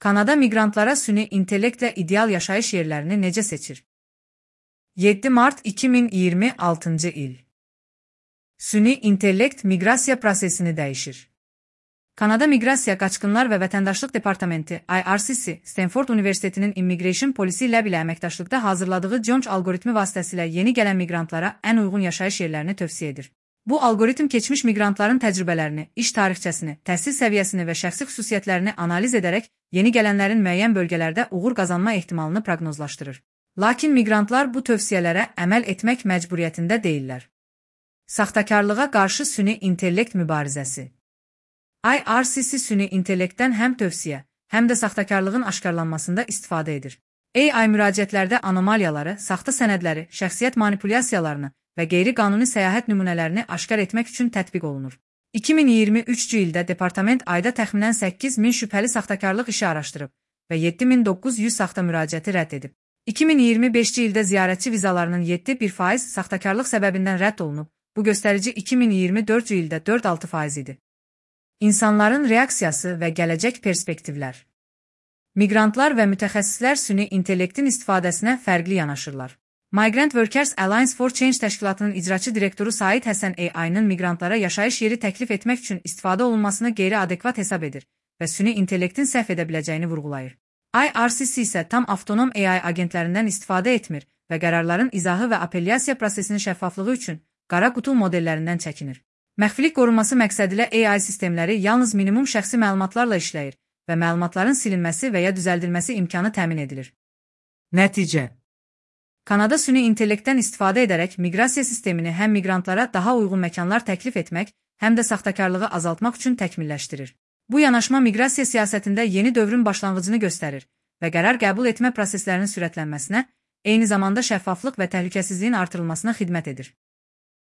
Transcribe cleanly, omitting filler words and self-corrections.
Kanada miqrantlara süni intellektlə ideal yaşayış yerlərini necə seçir? 7 mart 2026 il. Süni intellekt miqrasiya prosesini dəyişir. Kanada Miqrasiya, Qaçqınlar və Vətəndaşlıq Departamenti (IRCC) Stanford Universitetinin Immigration Policy Lab ilə əməkdaşlıqda hazırladığı Jones alqoritmi vasitəsilə yeni gələn miqrantlara ən uyğun yaşayış yerlərini tövsiyə edir. Bu alqoritm keçmiş miqrantların təcrübələrini, iş tarixçəsini, təhsil səviyyəsini və şəxsi xüsusiyyətlərini analiz edərək yeni gələnlərin müəyyən bölgələrdə uğur qazanma ehtimalını proqnozlaşdırır. Lakin miqrantlar bu tövsiyələrə əməl etmək məcburiyyətində deyillər. Saxtakarlığa qarşı süni intellekt mübarizəsi. IRCC süni intellektdən həm tövsiyə, həm də saxtakarlığın aşkarlanmasında istifadə edir. AI müraciətlərdə anomaliyaları, saxta sənədləri, şəxsiyyət manipulyasiyalarını və qeyri-qanuni səyahət nümunələrini aşkar etmək üçün tətbiq olunur. 2023-cü ildə departament ayda təxminən 8000 şübhəli saxtakarlıq işi araşdırıb və 7900 saxta müraciəti rədd edib. 2025-ci ildə ziyarətçi vizalarının 7,1% saxtakarlıq səbəbindən rədd olunub, bu göstərici 2024-cü ildə 4,6% idi. İnsanların reaksiyası və gələcək perspektivlər. Miqrantlar və mütəxəssislər süni intellektin istifadəsinə fərqli yanaşırlar. Migrant Workers Alliance for Change təşkilatının icraçı direktoru Said Həsən AI-nın miqrantlara yaşayış yeri təklif etmək üçün istifadə olunmasını qeyri-adekvat hesab edir və süni intellektin səhv edə biləcəyini vurğulayır. IRCC isə tam avtonom AI agentlərindən istifadə etmir və qərarların izahı və apellyasiya prosesinin şəffaflığı üçün qara qutu modellərindən çəkinir. Məxfilik qorunması məqsədilə AI sistemləri yalnız minimum şəxsi məlumatlarla işləyir və məlumatların silinməsi və ya düzəldilməsi imkanı təmin edilir. Nəticə: Kanada süni intellektdən istifadə edərək miqrasiya sistemini həm miqrantlara daha uyğun məkanlar təklif etmək, həm də saxtakarlığı azaltmaq üçün təkmilləşdirir. Bu yanaşma miqrasiya siyasətində yeni dövrün başlanğıcını göstərir və qərar qəbul etmə proseslərinin sürətlənməsinə, eyni zamanda şəffaflıq və təhlükəsizliyin artırılmasına xidmət edir.